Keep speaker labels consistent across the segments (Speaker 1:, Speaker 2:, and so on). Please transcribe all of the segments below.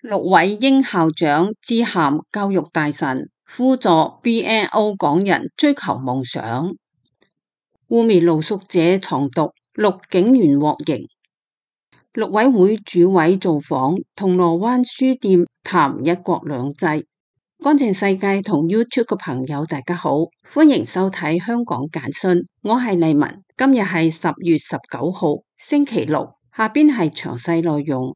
Speaker 1: 陸偉英校長致函教育大臣，輔助 BNO 港人追求夢想。污蔑露宿者藏毒，6警員獲刑。陸委會主委造訪銅鑼灣書店談一國兩制。乾淨世界同 YouTube 嘅朋友大家好，歡迎收睇香港簡訊，我係麗文。今日係10月19號星期六，下邊係詳細內容。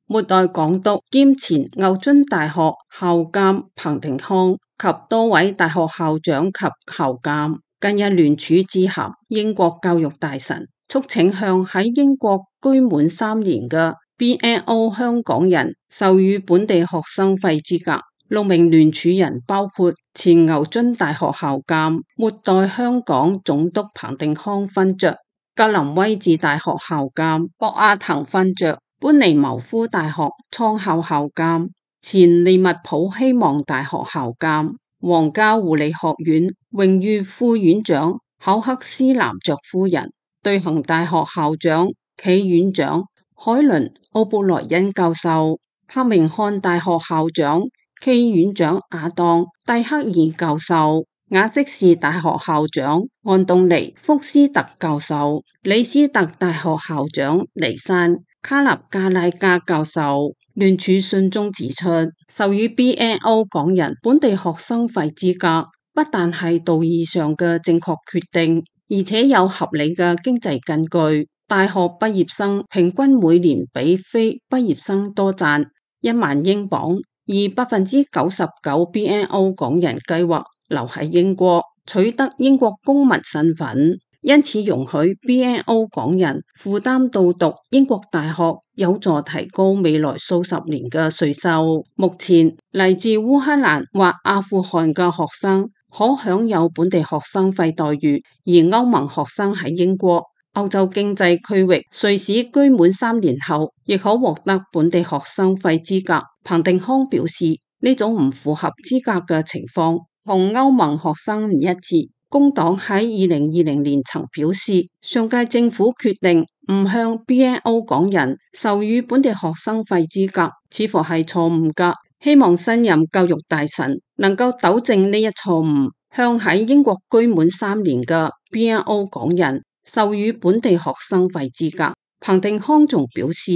Speaker 1: 末代港督兼前牛津大學校監彭定康及多位大學校長及校監近日聯署致函英國教育大臣，促請向喺英國居滿3年嘅 BNO 香港人授予本地學生費資格。6名聯署人包括前牛津大學校監、末代香港總督彭定康勳爵、格林威治大學校監博阿滕勳爵、班尼茅夫大學創校校監、前利物浦希望大學校監、皇家護理學院榮譽副院長考克斯男爵夫人、對行大學校長暨院長海倫奧布萊恩教授、伯明翰大學校長暨院長亞當蒂克爾教授、瓦積士大學校長安東尼福斯特教授、李斯特大學校長尼山卡納加拉加教授。聯署信中指出，授予 BNO 港人本地學生費資格，不但係道義上嘅正確決定，而且有合理嘅經濟根據。大學畢業生平均每年比非畢業生多賺1萬英鎊，而99%BNO 港人計劃留喺英國，取得英國公民身份。因此容許 BNO 港人負擔到讀英國大學，有助提高未來數十年嘅稅收。目前嚟自烏克蘭或阿富汗嘅學生可享有本地學生費待遇，而歐盟學生喺英國、歐洲經濟區域瑞士居滿3年後，亦可獲得本地學生費資格。彭定康表示，呢種唔符合資格嘅情況同歐盟學生唔一致。工黨喺2020年曾表示，上屆政府決定唔向 BNO 港人授予本地學生費資格，似乎係錯誤㗎。希望新任教育大臣能夠糾正呢一錯誤，向喺英國居滿3年嘅 BNO 港人授予本地學生費資格。彭定康仲表示，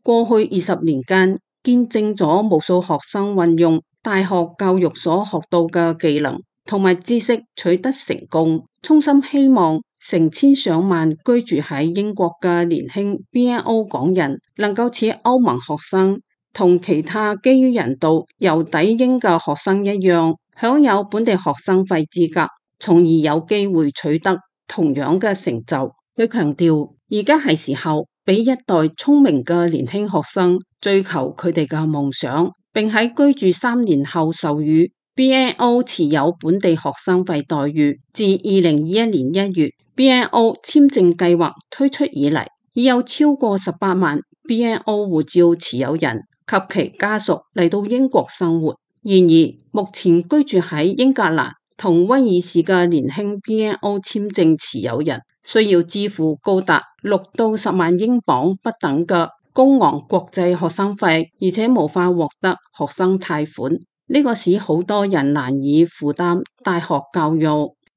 Speaker 1: 過去20年間見證咗無數學生運用大學教育所學到嘅技能同埋知識取得成功，衷心希望成千上萬居住喺英國嘅年輕 BNO 港人能夠似歐盟學生同其他基於人道由抵英嘅學生一樣，享有本地學生費資格，從而有機會取得同樣嘅成就。佢強調，而家係時候俾一代聰明嘅年輕學生追求佢哋嘅夢想，並喺居住3年後授予BNO 持有本地學生費待遇。自2021年1月 BNO 簽證計劃推出以嚟，已有超過18萬 BNO 護照持有人及其家屬嚟到英國生活。然而，目前居住喺英格蘭同威爾士嘅年輕 BNO 簽證持有人需要支付高達6到10萬英鎊不等嘅高昂國際學生費，而且無法獲得學生貸款。呢個使好多人難以負擔大學教育。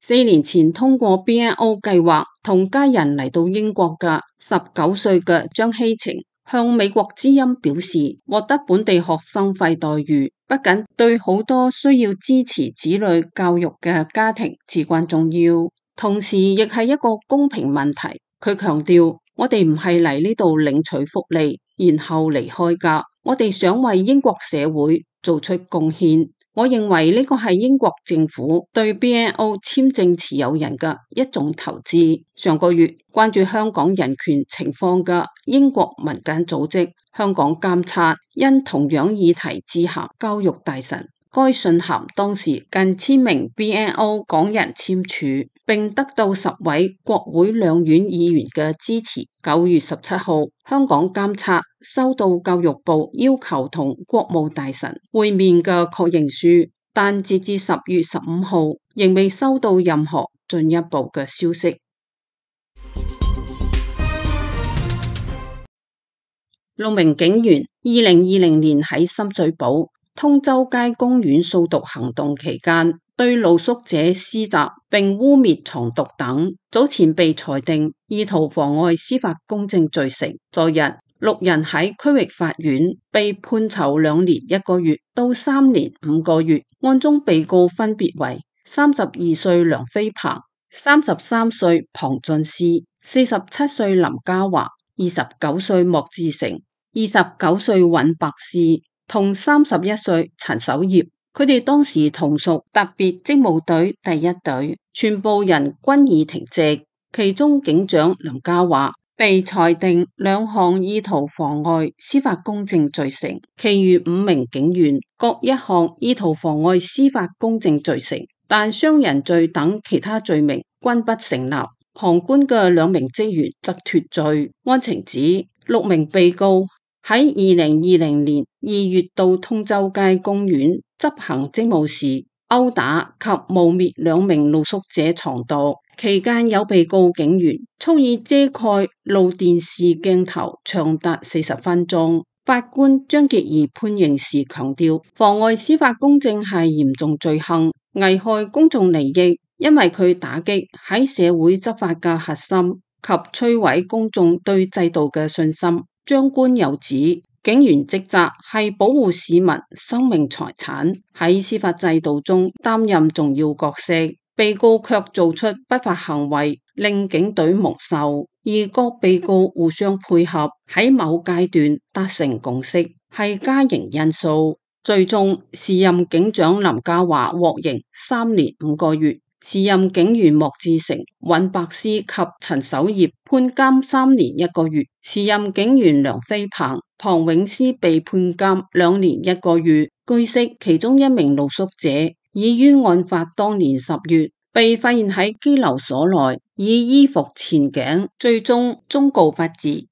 Speaker 1: 4年前通過 BNO 計劃同家人嚟到英國嘅19歲嘅張希晴向美國之音表示，獲得本地學生費待遇不僅對好多需要支持子女教育嘅家庭至關重要，同時亦係一個公平問題。佢強調，我哋唔係嚟呢度領取福利然後離開㗎，我哋想為英國社會做出貢獻。我認為呢個係英國政府對 BNO 簽證持有人嘅一種投資。上個月關注香港人權情況嘅英國民間組織香港監察因同樣議題致函教育大臣，該信函當時近1000名 BNO 港人簽署。並得到10位國會兩院議員嘅支持。9月17號，香港監察收到教育部要求同國務大臣會面嘅確認書，但截至10月15號，仍未收到任何進一步嘅消息。6名警員2020年喺深水埗通州街公園掃毒行動期間，對露宿者施襲並污衊藏毒等，早前被裁定意圖妨礙司法公正罪成。昨日6人喺區域法院被判囚2年1個月到3年5個月，案中被告分別為32歲梁飛鵬、33歲龐俊詩、47歲林嘉華、29歲莫志成、29歲尹白詩同31歲陳守業。佢哋當時同屬特別職務隊第1隊，全部人均已停職。其中警長林嘉華被裁定2項意圖妨礙司法公正罪成，其餘5名警員各1項意圖妨礙司法公正罪成，但傷人罪等其他罪名均不成立。旁觀嘅2名職員則脫罪。案情指6名被告喺2020年2月到通州街公園執行職務時，毆打及誣衊2名露宿者藏毒，期間有被告警員蓄意遮蓋路電視鏡頭長達40分鐘。法官張潔儀判刑時強調，妨礙司法公正係嚴重罪行，危害公眾利益，因為佢打擊喺社會執法嘅核心及摧毀公眾對制度嘅信心。張官又指，警員職責係保護市民生命財產，喺司法制度中擔任重要角色。被告卻做出不法行為，令警隊蒙羞。而各被告互相配合，喺某階段達成共識，係加刑因素。最終，時任警長林嘉華獲刑3年5個月。時任警員莫志成、尹白詩及陳守業判監3年1個月，時任警員梁飛鵬、龐永詩被判監2年1個月。據悉，其中1名露宿者已於案發當年10月被發現喺拘留所內，以衣服纏頸，最終終告不治。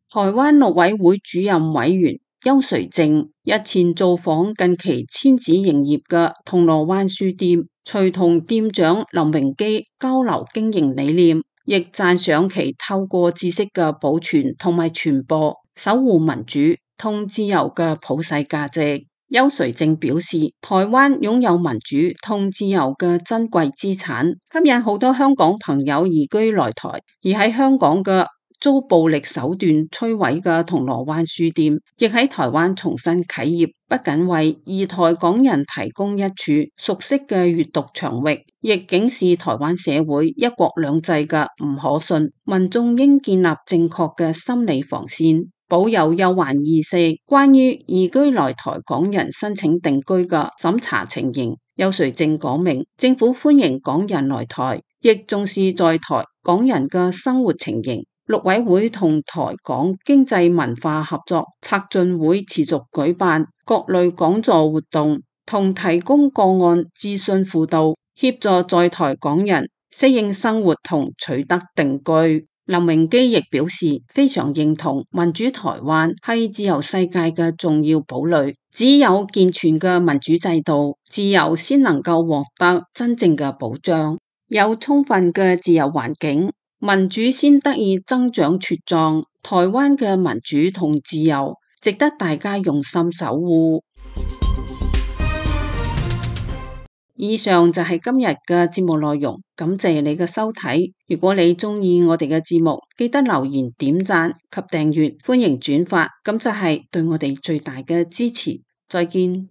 Speaker 1: 台灣陸委會主任委員邱垂正日前造訪近期遷址營業嘅銅鑼灣書店，隨同店長林榮基交流經營理念，亦讚賞其透過知識嘅保存同埋傳播，守護民主同自由嘅普世價值。邱垂正表示，台灣擁有民主同自由嘅珍貴資產，吸引好多香港朋友移居來台，而喺香港嘅遭暴力手段摧毀嘅銅鑼灣書店，亦喺台灣重新啟業，不僅為移台港人提供一處熟悉嘅閱讀場域，亦警示台灣社會一國兩制嘅唔可信，民眾應建立正確嘅心理防線，保有憂患意識。關於移居來台港人申請定居嘅審查情形，邱垂正講明，政府歡迎港人來台，亦重視在台港人嘅生活情形。陸委會同台港經濟文化合作策進會持續舉辦各類講座活動，同提供個案諮詢輔導，協助在台港人適應生活同取得定居。林榮基亦表示非常認同民主台灣係自由世界嘅重要堡壘，只有健全嘅民主制度，自由先能夠獲得真正嘅保障，有充分嘅自由環境，民主先得以增長茁壯。台灣嘅民主同自由值得大家用心守護。以上就係今日嘅節目內容，感謝你嘅收睇。如果你鍾意我哋嘅節目，記得留言、點讚及訂閱，歡迎轉發，咁就係對我哋最大嘅支持。再見。